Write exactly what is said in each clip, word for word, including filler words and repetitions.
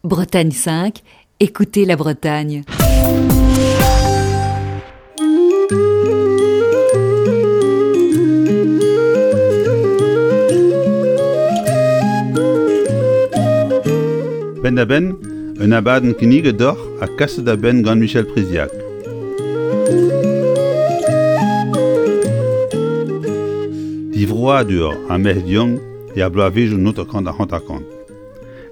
Bretagne cinq, écoutez la Bretagne. Penn-da-benn, un abadenn kinniget deoc'h ha kaset da benn gant Michel Priziac. Divroadur ar merc'hed yaouank er bloavezhioù hanter-kant ha hanter-kant.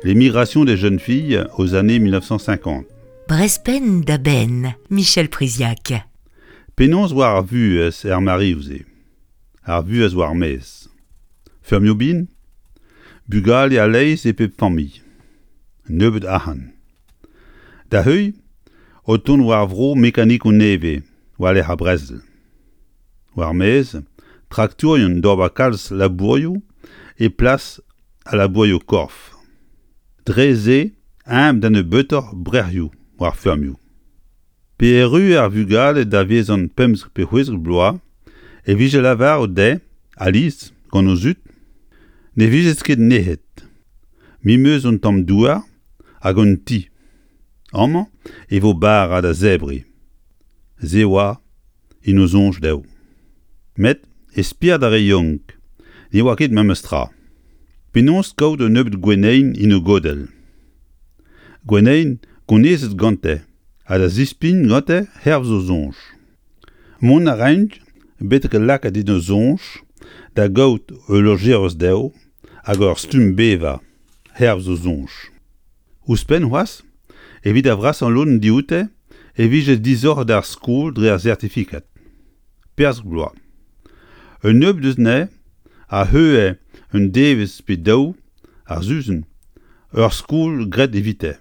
Les migrations des jeunes filles aux années mille neuf cent cinquante. Brezh penn da benn, Michel Priziac. Penaos war ar vuhez er mareoù-se. Ar vuhez war maez. Feurmioù bihan, bugale a-leizh e pep familh. Nebeut arc'hant. Da heuilh, o tont war vro mekanikoù nevez, war lec'h ar brezel. War maez, traktourien d'ober kalz labourioù e plas al labourioù korf. Dre se, eñ da nebeutoc'h brec'hioù war feurmioù. Pe erru ar vugale da vezan pemzek pe c'hwezek bloaz, e vije lavaret dezhe, alies, gant o zud, ne vijet ket nec'het. Me 'm eus un tamm douar hag un ti. Amañ e vo bara da zebriñ. Se oa en o soñj dezho. Met e spered ar re yaouank ne oa ket memes tra. Penaos kaout un nebeud gwenneien en o godell. Gwenneien gonezet gante ha da zispign gante hervez o soñj. Mont a raint betek lakaat en o soñj da gaout ul lojeris dezho hag ur stumm bevañ hervez o soñj. Ouzhpenn c'hoazh, evit ar vrasañ lodenn dioute e vije disoc'het ar skol dre ar sertifikad. Perzh bloaz. Un nebeud eus anezhe a heuilhe un devezh pe daou ar sizhun ur skol graet evite.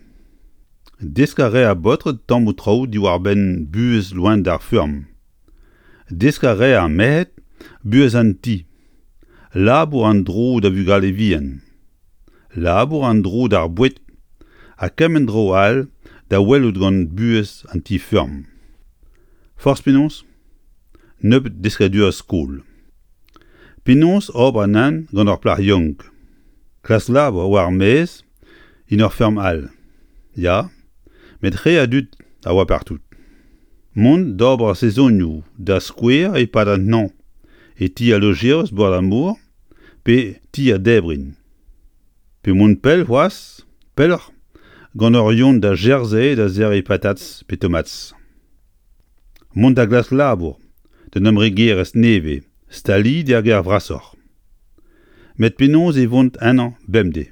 Desk a rae ar baotred tammoù traoù diwar-benn buhez loened ar feurm. Desk a rae ar merc'hed buhez an ti. Labour an dro da vugale vihan. Labour an dro d'ar boued ha kement dro all da welout gant buhez an ti-feurm. Forzh penaos, nebeut deskadurezh skol. Penaos ober an hent gant ur plac'h yaouank. Klask labour war ar maez en ur feurm all. Ya, met re a dud a oa partout. Mont d'ober sezonioù da skouer e-pad an hañv e ti al lojeris bord ar mor pe ti ar debrin. Pe mont pell c'hoazh, pelloc'h, gant ur yon da Jersey da serriñ patatz pe tomatz. Mont da glask labour d'un embregerezh nevez, staliet er gêr vrasoc'h. Met penaos e vont ennañ bemdez.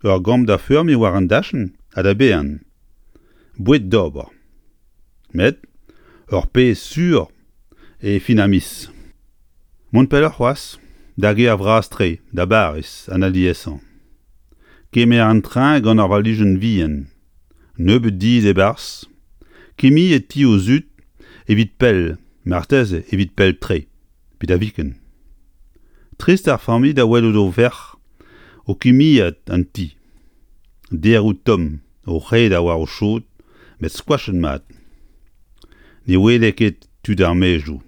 Ur gambr da feurmiñ war an dachenn ha da baeañ. Boued d'ober. Met ur pezh sur e fin ar miz. Mont pelloc'h c'hoazh, da gêr vras-tre, da Bariz, an aliesañ. Kemer an train gant ur valijenn vihan. Nebeut dilhad e-barzh. Kemmiñ e ti o zud evit pell, marteze evit pell-tre, pe da viken. Trist ar familh da welout o verc'h o kimiad an ti. Deroù tomm, o c'hedañ war o chod, met skoachet mat. Ne wele ket tud ar maezioù,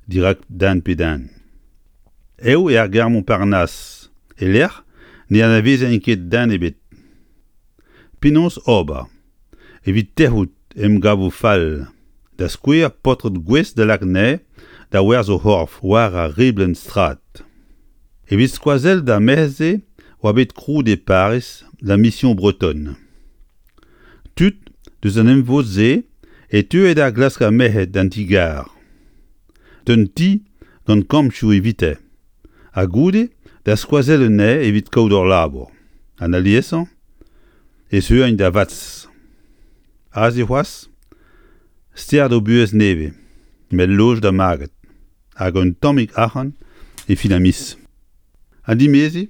dirak den pe den. Eo er gare Montparnasse, e-lec'h ne anavezen ket den ebet. Penaos ober, evit tec'hout emgavoù fall, da skouer paotred gouest da lakaat anezhe da werzh o c'horf war ar riblenn strad. Evit skoazell d'ar merc'hed-se oa bet krouet e Pariz la Mission Bretonne. Tud deus an emvod-se e teue da glask ar merc'hed d'an ti-gar. D'un ti gant kambroù evite, ha goude da skoazell anezhe evit kaout ur labour. An aliesañ e zeuint da Vatz. Aze c'hoazh, stert o buhez nevez, met loj da maget, hag un tammig arc'hant e fin ar miz. An dimeziñ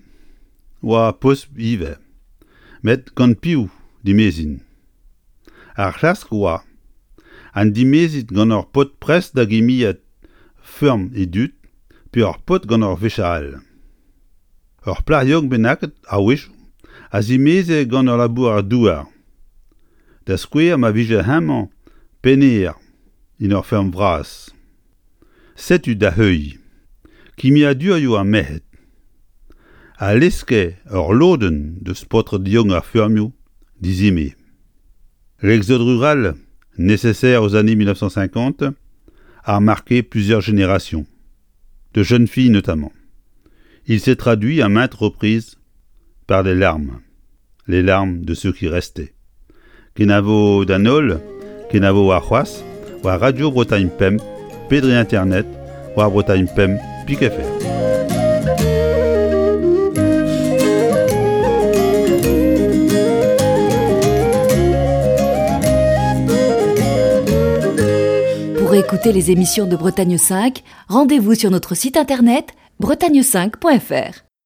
oa posupl ivez, met gant piv dimezin. Ar c'hlask oa, an dimezit gant ur paotr prest da gimiad feurm e dud pe ur paotr gant ur vicher all. Ur plac'h yaouank bennaket a-wechoù a zimeze gant ur labourer-douar. Da skouer ma vije hemañ pennhêr en ur feurm vras. Setu da heuilh kimiadurioù ar merc'hed. A leske ur lodenn deus paotred yaouank ar feurmioù dizime. L'exode rural, nécessaire aux années mille neuf cent cinquante, a marqué plusieurs générations, de jeunes filles notamment. Il s'est traduit à maintes reprises par des larmes, les larmes de ceux qui restaient. Kenavo d'an holl, kenavo ar c'hoazh, war Radio Bretagne Pemp, pe dre Internet, war Bretagne Pemp, pik F R. Pour écouter les émissions de Bretagne cinq, rendez-vous sur notre site internet bretagne cinq point F R.